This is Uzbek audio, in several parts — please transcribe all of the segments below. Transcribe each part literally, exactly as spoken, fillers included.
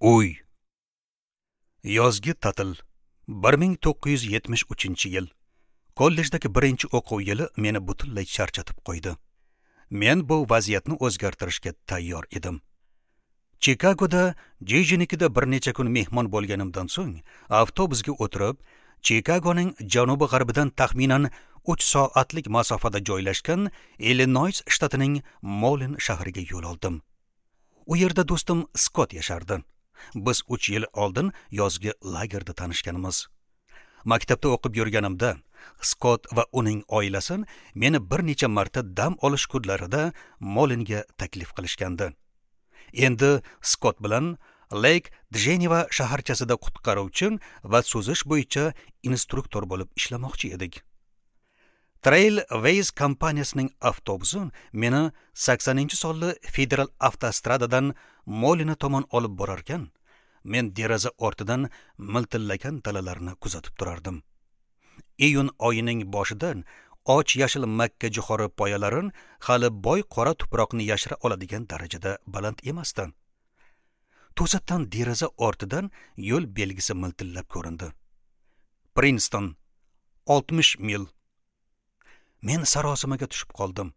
Uy. Yozgi ta'til bir ming to'qqiz yuz yetmish uchinchi yil. Kollejdagi birinchi o'quv yili meni butunlay charchatib qo'ydi. Men bu vaziyatni o'zgartirishga tayyor edim. Chikagoda Jijinikida bir necha kun mehmon bo'lganimdan so'ng avtobusga o'tirib, Chikagoning janubi-g'arbidan taxminan uch soatlik masofada joylashgan Illinois shtatining Molin shahriga yo'l oldim. U yerda do'stim Skott yashardi. Biz uch yil oldin yozgi lagerda tanishganmiz. Maktabda o'qib yurganimda Skott va uning oilasi meni bir necha marta dam olish kunlarida Molinga taklif qilishgandi. Endi Skott bilan Lake Geneva shaharchasida qutqaruvchi va suzish bo'yicha instruktor bo'lib ishlamoqchi edik. Trailways kompaniyasining avtobusi meni saksoninchi sonli federal avtostradadan Molina tomon olib borarkan, men deraza ortidan miltillagan dalalarni kuzatib turardim. Iyun oyining boshidan och yashil makka jo'xori poyalari hali boy qora tuproqni yashira oladigan darajada baland emasdi. To'satdan deraza ortidan yo'l belgisi miltillab ko'rindi. Prinston, oltmish mil. Men sarosimaga tushib qoldim.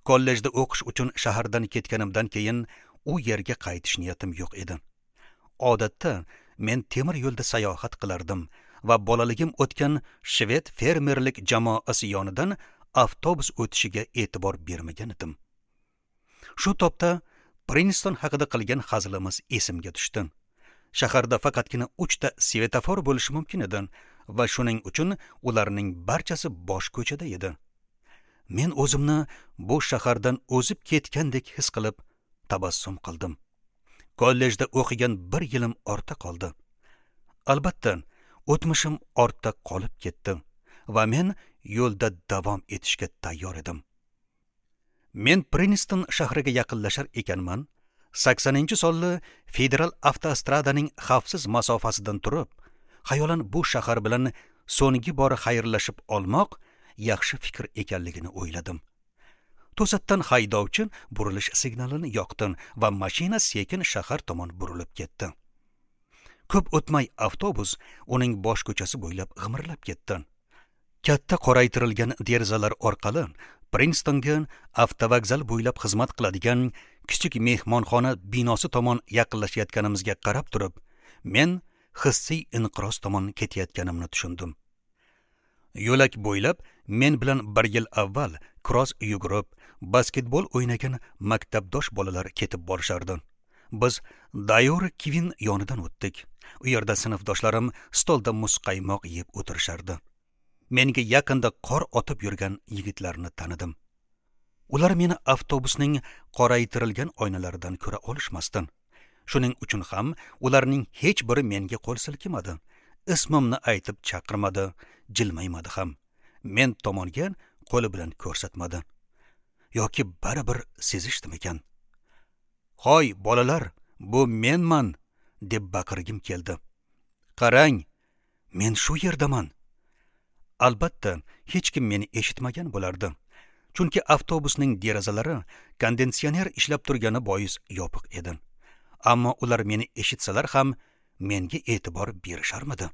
Kollejda o'qish uchun shahardan ketganimdan keyin u yerga qaytish niyatim yo'q edi. Odatda men temir yo'lda sayohat qilardim va bolaligim o'tgan shved fermerlik jamoasi yonidan avtobus o'tishiga e'tibor bermagan edim. Shu topda Prinston haqida qilgan hazilimiz esimga tushdi. Shaharda faqatgina uchta svetofor bo'lishi mumkin edi va shuning uchun ularning barchasi bosh ko'chada edi. Men o'zimni bu shahardan o'zib ketgandek his qilib tabassum qildim. Kollejda o'qigan bir yilim ortda qoldi. Albatta, o'tmishim ortda qolib ketdi va men yo'lda davom etishga tayyor edim. Men Prinston shahriga yaqinlashar ekanman, saksoninchi sonli federal avtostradaning xavfsiz masofasidan turib, xayolan bu shahar bilan so'nggi bor xayrlashib olmoq yaxshi fikr ekanligini o'yladim. To'satdan haydovchi burilish signalini yoqdi va mashina sekin shahar tomon burilib ketdi. Ko'p o'tmay avtobus uning bosh ko'chasi bo'ylab g'imirlab ketdi. Katta qoraytirilgan derazalar orqali Prinstonga avtovokzal bo'ylab xizmat qiladigan kichik mehmonxona binosi tomon yaqinlashayotganimizga qarab turib, men hissiy inqiroz tomon ketayotganimni tushundim. Yo'lak bo'ylab men bilan bir yil avval kross yugurib, basketbol o'ynagan maktabdosh bolalar ketib borishardi. Biz Dayori Kivin yonidan o'tdik. U yerda sinfdoshlarim stolda muzqaymoq yeb o'tirishardi. Menga yaqinda qor otib yurgan yigitlarni tanidim. Ular meni avtobusning qoraytirilgan oynalaridan ko'ra olishmasdi. Shuning uchun ham ularning hech biri menga qo'l silkimadi. Ismimni aytib chaqirmadi, jilmaymadi ham. Men tomonga qo'li bilan ko'rsatmadi. Yoki baribir sezishdimikan? "Hoy bolalar, bu menman!" deb baqirgim keldi. "Qarang, men shu yerdaman." Albatta, hech kim meni eshitmagan bo'lardi. Chunki avtobusning derazalari konditsioner ishlab turgani bois yopiq edi. Ammo ular meni eshitsalar ham menga e'tibor berisharmidi?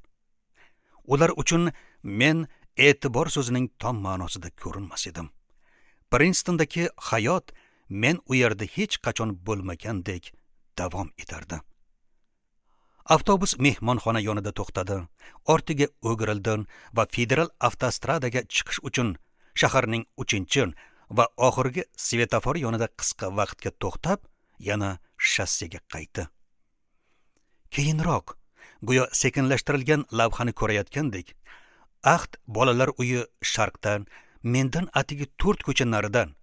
Ular uchun men e'tibor so'zining tom ma'nosida ko'rinmas edim. Prinston'dagi hayot men u yerda hech qachon bo'lmagandek davom etardi. Avtobus mehmonxona yonida to'xtadi, ortiga o'girildi va federal avtostradaga chiqish uchun shaharning uchinchi va oxirgi svetofor yonida qisqa vaqtga to'xtab, yana shossega qaytdi. Keyinroq, go'yo sekinlashtirilgan lavhani ko'rayotgandek, Ahd bolalar uyi sharqdan, mendan atigi to'rt ko'cha naridan,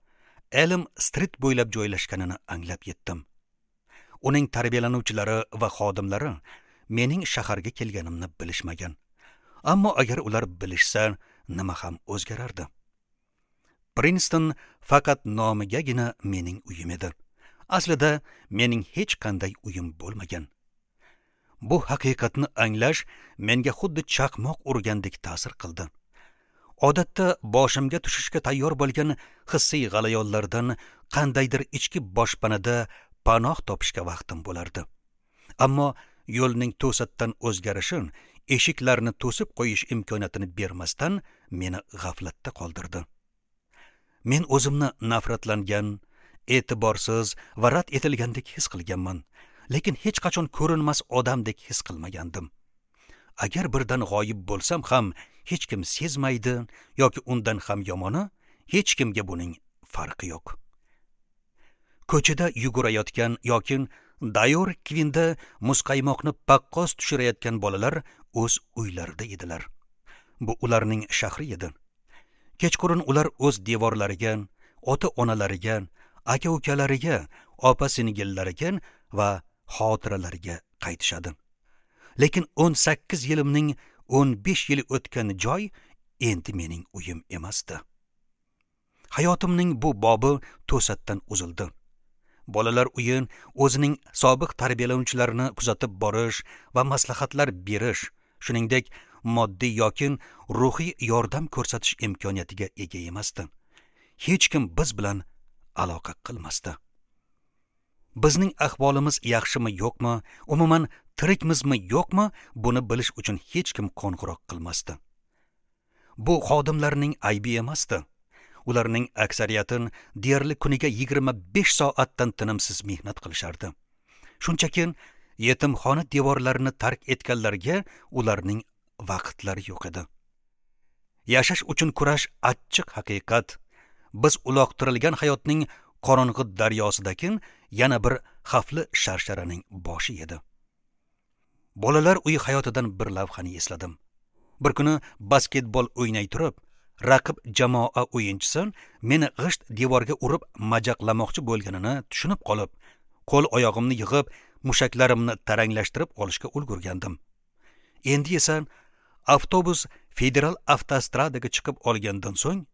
Elm Street bo'ylab joylashganini anglab yetdim. Uning tarbiyalanuvchilari va xodimlari mening shaharga kelganimni bilishmagan. Ammo agar ular bilishsa, nima ham o'zgarardi? Prinston faqat nomigagina mening uyim edi. Aslida mening hech qanday uyim bo'lmagan. Bu haqiqatni anglash menga xuddi chaqmoq urgandek ta'sir qildi. Odatda boshimga tushishga tayyor bo'lgan hissiy g'alayonlardan qandaydir ichki boshpanada panoh topishga vaqtim bo'lardi. Ammo yo'lning to'satdan o'zgarishi eshiklarni to'sib qo'yish imkoniyatini bermasdan meni g'aflatda qoldirdi. Men o'zimni nafratlangan, e'tiborsiz va rad etilgandek his qilganman, lekin hech qachon ko'rinmas odamdek his qilmagandim. Agar birdan g'oyib bo'lsam ham hech kim sezmaydi yoki undan ham yomoni, hech kimga buning farqi yo'q. Ko'chada yugurayotgan yoki Dayor Kvinda muzqaymoqni paqqos tushirayotgan bolalar o'z uylarida edilar. Bu ularning shahri edi. Kechqurun ular o'z devorlariga, ota-onalariga, aka-ukalariga, opa-singillariga va xotiralariga qaytishadi. Lekin o'n sakkiz yilimning o'n besh yili o'tgan joy endi mening uyim emasdi. Hayotimning bu bobi to'satdan uzildi. Bolalar uyi o'zining sobiq tarbiyalanuvchilarini kuzatib borish va maslahatlar berish, shuningdek moddiy yoki ruhiy yordam ko'rsatish imkoniyatiga ega emasdi. Hech kim biz bilan aloqa qilmasdi. Bizning ahvolimiz yaxshimi yo'qmi, umuman tirikmizmi yo'qmi, buni bilish uchun hech kim qo'ng'iroq qilmasdi. Bu xodimlarning aybi emasdi. Ularning aksariyati deyarli kuniga yigirma besh soatdan tinimsiz mehnat qilishardi. Shunchaki yetimxona devorlarini tark etganlarga ularning vaqtlari yo'q edi. Yashash uchun kurash achchiq haqiqat. Biz uloqtirilgan hayotning qorong'i daryosidagi yana bir xavfli sharsharaning boshi edi. Bolalar uyi hayotidan bir lavhani esladim. Bir kuni basketbol o'ynay turib, raqib jamoa o'yinchisi meni g'isht devorga urib majaqlamoqchi bo'lganini tushunib qolib, qo'l oyog'imni yig'ib, mushaklarimni taranglashtirib olishga ulgurgandim. Endi esa avtobus federal avtostradaga chiqib olgandan so'ng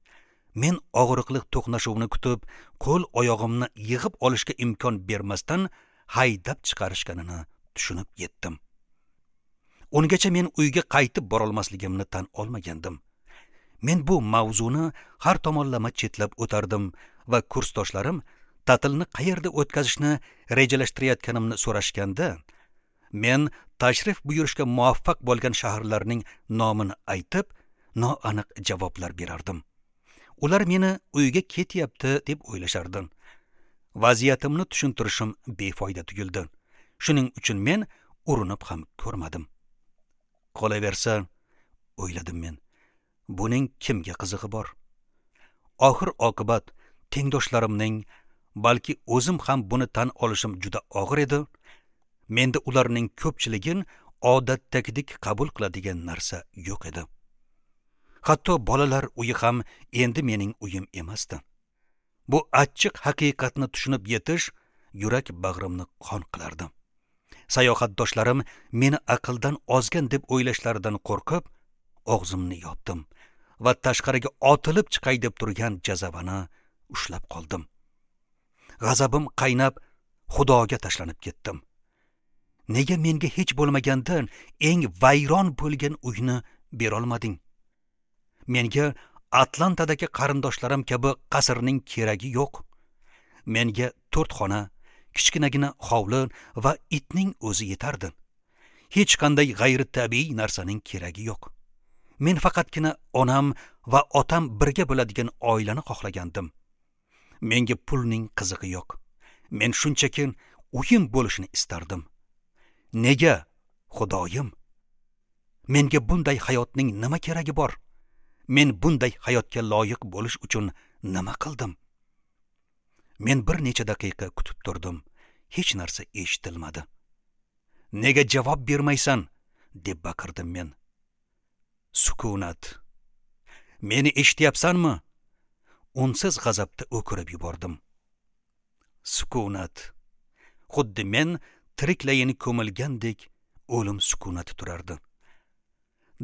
men og'riqli to'qnashuvni kutib, qo'l oyog'imni yig'ib olishga imkon bermasdan haydab chiqarishganini tushunib yetdim. Ungacha men uyga qaytib borolmasligimni tan olmagandim. Men bu mavzuni har tomonlama chetlab o'tardim va kursdoshlarim ta'tilni qayerda o'tkazishni rejalashtirayotganimni so'rashganda, men tashrif buyurishga muvaffaq bo'lgan shaharlarning nomini aytib, noaniq javoblar berardim. Ular meni uyga ketyapti deb o'ylashardi. Vaziyatimni tushuntirishim befoyda tuyuldi. Shuning uchun men urinib ham ko'rmadim. Qolaversa, o'yladim men, buning kimga qizig'i bor? Oxir oqibat tengdoshlarimning, balki o'zim ham buni tan olishim juda og'ir edi. Menda ularning ko'pchiligin odatdagidek qabul qiladigan narsa yo'q edi. Hatto bolalar uyi ham endi mening uyim emasdi. Bu achchiq haqiqatni tushunib yetish yurak bag'rimni qon qilardi. Sayohatdoshlarim meni aqldan ozgan deb o'ylashlaridan qo'rqib, og'zimni yopdim va tashqariga otilib chiqay deb turgan jazavani ushlab qoldim. G'azabim qaynab, Xudoga tashlanib ketdim. Nega menga hech bo'lmagandan eng vayron bo'lgan uyni berolmading? Menga Atlantadagi qarindoshlarim kabi qasrning keragi yo'q. Menga to'rt xona, kichkinagina hovli va itning o'zi yetardi. Hech qanday g'ayritabiiy narsaning keragi yo'q. Men faqatgina onam va otam birga bo'ladigan oilani xohlagandim. Menga pulning qizig'i yo'q. Men shunchaki uyim bo'lishini istardim. Nega, Xudoyim? Menga bunday hayotning nima keragi bor? Men bunday hayotga loyiq bo'lish uchun nima qildim? Men bir necha daqiqa kutib turdim. Hech narsa eshitilmadi. Nega javob bermaysan? Deb baqirdim men. Sukunat. Meni eshityapsanmi? Unsiz g'azabda o'kirib yubordim. Sukunat. Xuddi men tiriklayin ko'milgandek o'lim sukunati turardi.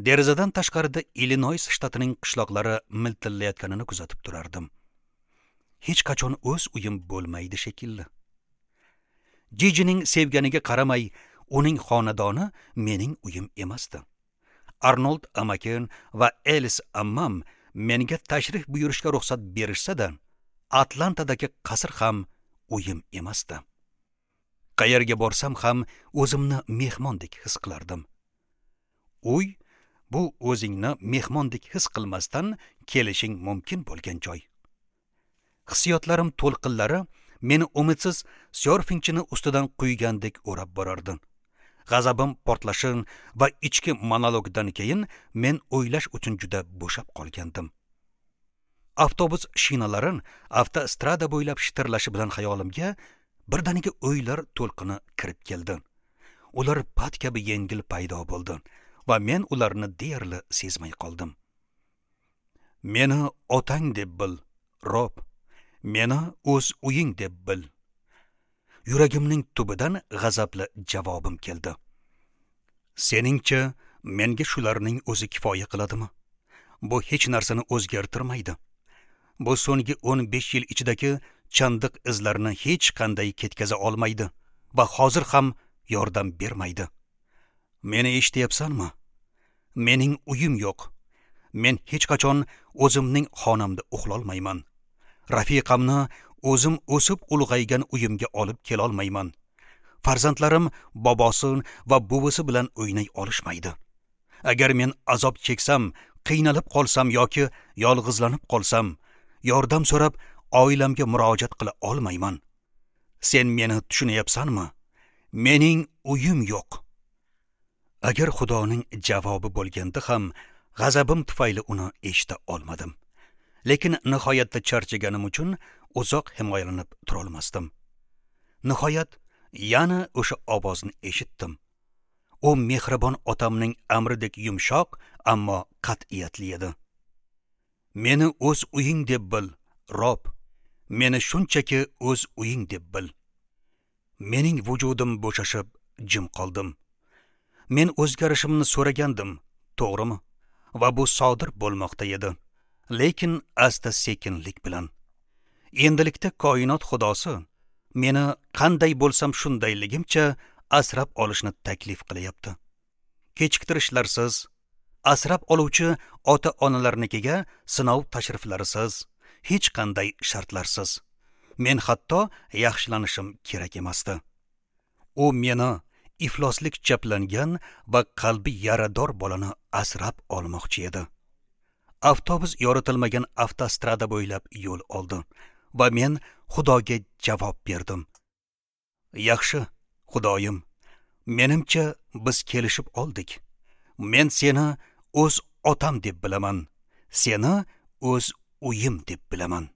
Derazadan tashqarida Illinoys shtatining qishloqlari miltillayotganini kuzatib turardim. Hech qachon o'z uyim bo'lmaydi shekilli. Jijining sevganiga qaramay, uning xonadoni mening uyim emasdi. Arnold amakim va Elis ammam menga tashrif buyurishga ruxsat berishsa-da, Atlantadagi qasr ham uyim emasdi. Qayerga borsam ham o'zimni mehmondek his qilardim. Uy bu o'zingni mehmondek his qilmasdan kelishing mumkin bo'lgan joy. Hissiyotlarim to'lqinlari meni umidsiz syorfingchini ustidan quygandek o'rab borardi. G'azabim portlashi va ichki monologdan keyin men o'ylash uchun juda bo'shab qolgandim. Avtobus shinalari avtostrada bo'ylab shitirlashi bilan xayolimga birdaniga o'ylar to'lqini kirib keldi. Ular pat kabi yengil paydo bo'ldi va men ularni deyarli sezmay qoldim. Meni otang deb bil, Rob. Meni o'z uying deb bil. Yuragimning tubidan g'azabli javobim keldi. Seningcha menga shularning o'zi kifoya qiladimi? Bu hech narsani o'zgartirmaydi. Bu so'nggi o'n besh yil ichidagi chandiq izlarini hech qanday ketkaza olmaydi va hozir ham yordam bermaydi. Meni eshityapsanmi? Mening uyim yo'q. Men hech qachon o'zimning xonamda uxlolmayman. Rafiqamni o'zim o'sib ulg'aygan uyimga olib kelolmayman. Farzandlarim bobosi va buvisi bilan o'ynay olishmaydi. Agar men azob cheksam, qiynalib qolsam yoki yolg'izlanib qolsam, yordam so'rab oilamga murojaat qila olmayman. Sen meni tushunyapsanmi? Mening uyim yo'q. Agar Xudoning javobi bo'lganda ham g'azabim tufayli uni eshita olmadim. Lekin nihoyatda charchaganim uchun uzoq himoyalanib turolmasdim. Nihoyat yana o'sha ovozni eshitdim. U mehribon otamning amridek yumshoq, ammo qat'iyatli edi. Meni o'z uying deb bil, Rob. Meni shunchaki o'z uying deb bil. Mening vujudim bo'shashib jim qoldim. Men o'zgarishimni so'ragandim, to'g'rimi? Va bu sodir bo'lmoqda edi, lekin asta-sekinlik bilan. Endilikda koinot xudosi meni qanday bo'lsam shundayligimcha asrab olishni taklif qilyapti. Kechiktirishlarsiz, asrab oluvchi ota-onalarnikiga sinov tashriflarisiz, hech qanday shartlarsiz. Men hatto yaxshilanishim kerak emasdi. U meni ifloslik chaplangan va qalbi yarador bolani asrab olmoqchi edi. Avtobus yoritilmagan avtostrada bo'ylab yo'l oldi va men Xudoga javob berdim. Yaxshi, Xudoyim, menimcha biz kelishib oldik. Men seni o'z otam deb bilaman, seni o'z uyim deb bilaman.